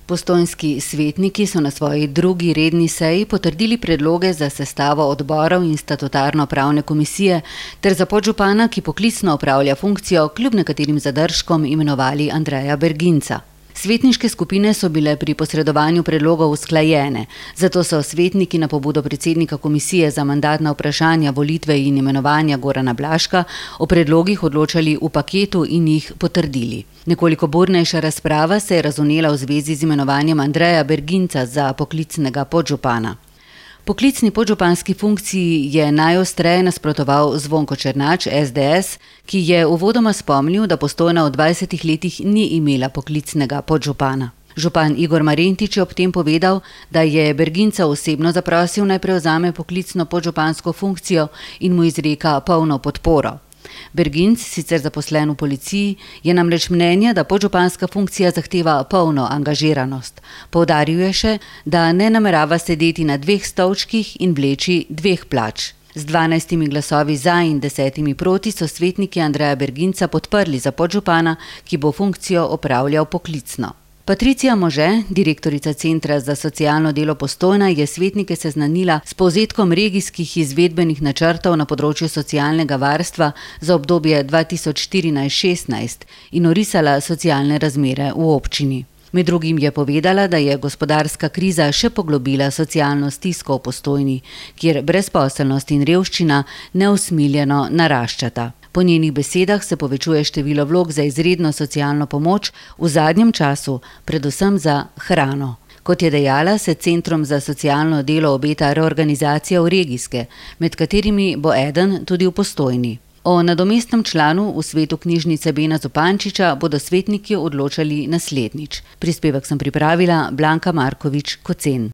Postojnski svetniki so na svoji drugi redni seji potrdili predloge za sestavo odborov in statutarno-pravne komisije ter za podžupana, ki poklicno opravlja funkcijo, kljub nekaterim zadržkom imenovali Andreja Berginca. Svetniške skupine so bile pri posredovanju predlogov usklajene, zato so svetniki na pobudo predsednika komisije za mandatna vprašanja, volitve in imenovanja Gorana Blaška o predlogih odločali v paketu in jih potrdili. Nekoliko burnejša razprava se je razvnela v zvezi z imenovanjem Andreja Berginca za poklicnega podžupana. Poklicni podžupanski funkciji je najostreje nasprotoval Zvonko Černač, SDS, ki je uvodoma spomnil, da Postojna v 20 letih ni imela poklicnega podžupana. Župan Igor Marentič je ob tem povedal, da je Berginca osebno zaprosil, naj prevzame poklicno podžupansko funkcijo in mu izreka polno podporo. Berginc, sicer zaposlen v policiji, je namreč mnenja, da podžupanska funkcija zahteva polno angažiranost. Poudaril je še, da ne namerava sedeti na 2 stolčkih in vleči 2 plač. Z 12 glasovi za in 10 proti so svetniki Andreja Berginca podprli za podžupana, ki bo funkcijo opravljal poklicno. Patricija Može, direktorica Centra za socialno delo Postojna, je svetnike seznanila s povzetkom regijskih izvedbenih načrtov na področju socialnega varstva za obdobje 2014-16 in orisala socialne razmere v občini. Med drugim je povedala, da je gospodarska kriza še poglobila socialno stisko v Postojni, kjer brezposelnost in revščina neusmiljeno naraščata. Po njenih besedah se povečuje število vlog za izredno socialno pomoč v zadnjem času, predvsem za hrano. Kot je dejala, se Centrom za socialno delo obeta reorganizacija v regijske, med katerimi bo eden tudi v Postojni. O nadomestnem članu v svetu knjižnice Bena Zupančiča bodo svetniki odločali naslednjič. Prispevek sem pripravila Blanka Markovič Kocen.